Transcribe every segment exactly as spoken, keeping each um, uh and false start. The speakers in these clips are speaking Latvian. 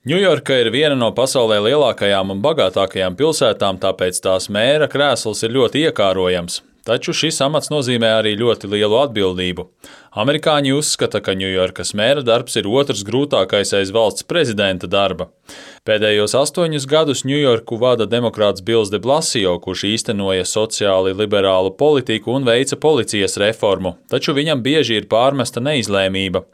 Ņujorka ir viena no pasaulē lielākajām un bagātākajām pilsētām, tāpēc tās mēra krēsls ir ļoti iekārojams. Taču šis amats nozīmē arī ļoti lielu atbildību. Amerikāņi uzskata, ka Ņujorkas mēra darbs ir otrs grūtākais aiz valsts prezidenta darba. Pēdējos astoņus gadus Ņujorku vada demokrāts Bills de Blasio, kurš īstenoja sociāli liberālu politiku un veica policijas reformu, taču viņam bieži ir pārmesta neizlēmība.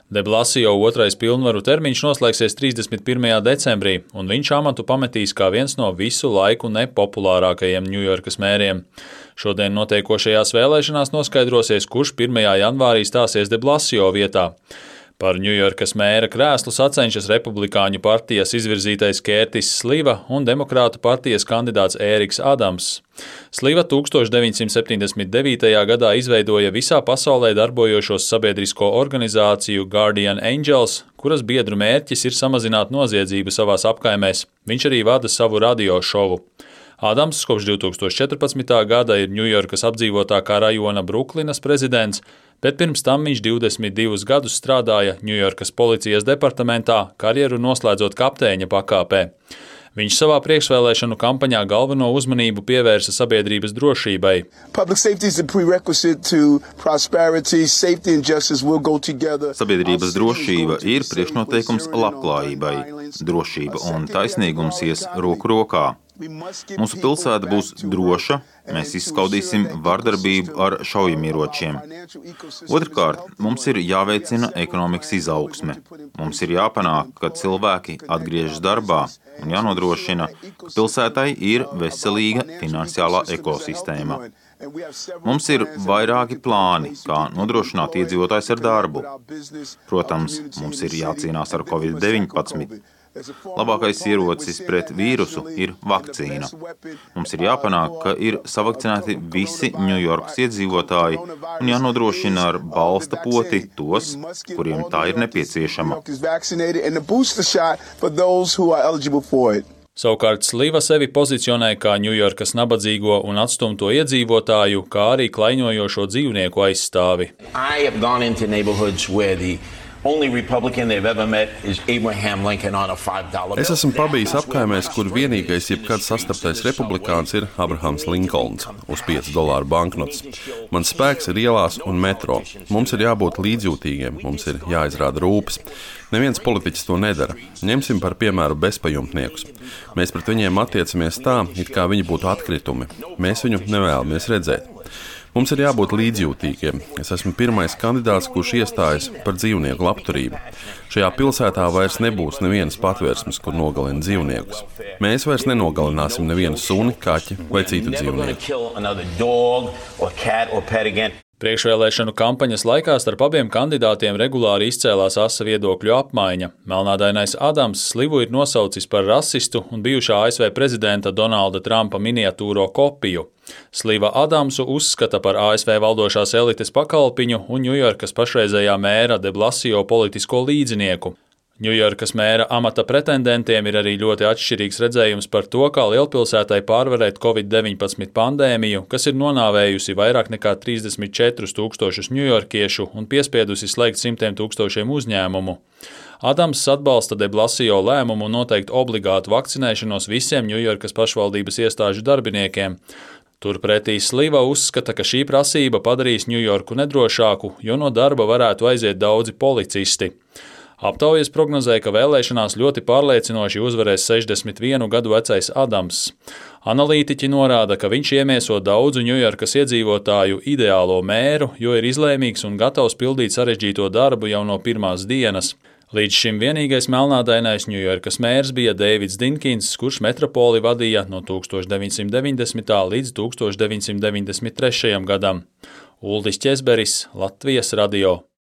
De Blasio otrais pilnvaru termiņš noslēgsies trīsdesmit pirmajā decembrī, un viņš amatu pametīs kā viens no visu laiku nepopulārākajiem Ņujorkas mēriem. Šodien notiekošajās vēlēšanās noskaidrosies, kurš pirmajā janvārī stāsies De Blasio vietā. Par Ņujorkas mēra krēslu sacenšas Republikāņu partijas izvirzītais Kērtis Sliva un Demokrātu partijas kandidāts Ēriks Adams. Sliva tūkstoš deviņsimt septiņdesmit devītajā gadā izveidoja visā pasaulē darbojošos sabiedrisko organizāciju Guardian Angels, kuras biedru mērķis ir samazināt noziedzību savās apkaimēs. Viņš arī vada savu radio šovu. Adams kopš divtūkstoš četrpadsmitā gada ir Ņujorkas apdzīvotākā rajona Bruklinas prezidents, bet pirms tam viņš divdesmit divus gadus strādāja Ņujorkas policijas departamentā, karjeru noslēdzot kapteiņa pakāpē. Viņš savā priekšvēlēšanu kampaņā galveno uzmanību pievērsa sabiedrības drošībai. Sabiedrības drošība ir priekšnoteikums labklājībai. Drošība un taisnīgums ies roku rokā. Mūsu pilsēta būs droša, mēs izskaudīsim vardarbību ar šaujamieročiem. Otrkārt, mums ir jāveicina ekonomikas izaugsme. Mums ir jāpanāk, ka cilvēki atgriežas darbā un jānodrošina, ka pilsētai ir veselīga finansiālā ekosistēma. Mums ir vairāki plāni, kā nodrošināt iedzīvotājs ar darbu. Protams, mums ir jācīnās ar covid deviņpadsmit. Labākais ierocis pret vīrusu ir vakcīna. Mums ir jāpanāk, ka ir savakcinēti visi Ņujorkas iedzīvotāji un jānodrošina ar balsta poti tos, kuriem tā ir nepieciešama. Savukārt Sliva sevi pozicionē kā Ņujorkas nabadzīgo un atstumto iedzīvotāju, kā arī klaiņojošo dzīvnieku aizstāvi. Es esmu pabijis apkaimēs, kur vienīgais jebkad sastaptais republikāns ir Abrahams Linkolns uz piecu dolāru banknotes. Mans spēks ir ielās un metro. Mums ir jābūt līdzjūtīgiem, mums ir jāizrāda rūpes. Neviens politiķis to nedara. Ņemsim par piemēru bezpajumtniekus. Mēs pret viņiem attiecamies tā, it kā viņi būtu atkritumi. Mēs viņu nevēlamies redzēt. Mums ir jābūt līdzjūtīgiem. Es esmu pirmais kandidāts, kurš iestājas par dzīvnieku labturību. Šajā pilsētā vairs nebūs nevienas patvērsmes, kur nogalina dzīvniekus. Mēs vairs nenogalināsim nevienu suni, kaķi vai citu dzīvnieku. Priekšvēlēšanu kampaņas laikā starp abiem kandidātiem regulāri izcēlās asa viedokļu apmaiņa. Melnādainais Adams Slivu ir nosaucis par rasistu un bijušā A S V prezidenta Donalda Trumpa miniatūro kopiju. Sliva Adamsu uzskata par A S V valdošās elites pakalpiņu un Ņujorkas pašreizējā mēra De Blasio politisko līdzinieku. Ņujorkas mēra amata pretendentiem ir arī ļoti atšķirīgs redzējums par to, kā lielpilsētai pārvarēt covid deviņpadsmit pandēmiju, kas ir nonāvējusi vairāk nekā trīsdesmit četrus tūkstošus ņujorkiešu un piespiedusi slēgt simtiem tūkstošiem uzņēmumu. Adams atbalsta De Blasio lēmumu noteikt obligātu vakcinēšanos visiem Ņujorkas pašvaldības iestāžu darbiniekiem. Turpretī Sliva uzskata, ka šī prasība padarīs Ņujorku nedrošāku, jo no darba varētu aiziet daudzi policisti. Aptaujas prognozēja, ka vēlēšanās ļoti pārliecinoši uzvarēs sešdesmit vienu gadu vecais Adams. Analītiķi norāda, ka viņš iemieso daudzu Ņujorkas iedzīvotāju ideālo mēru, jo ir izlēmīgs un gatavs pildīt sarežģīto darbu jau no pirmās dienas. Līdz šim vienīgais melnādainais Ņujorkas mērs bija Deivids Dinkins, kurš metropoli vadīja no tūkstoš deviņsimt deviņdesmitā līdz tūkstoš deviņsimt deviņdesmit trešajam gadam. Uldis Ķezberis, Latvijas radio.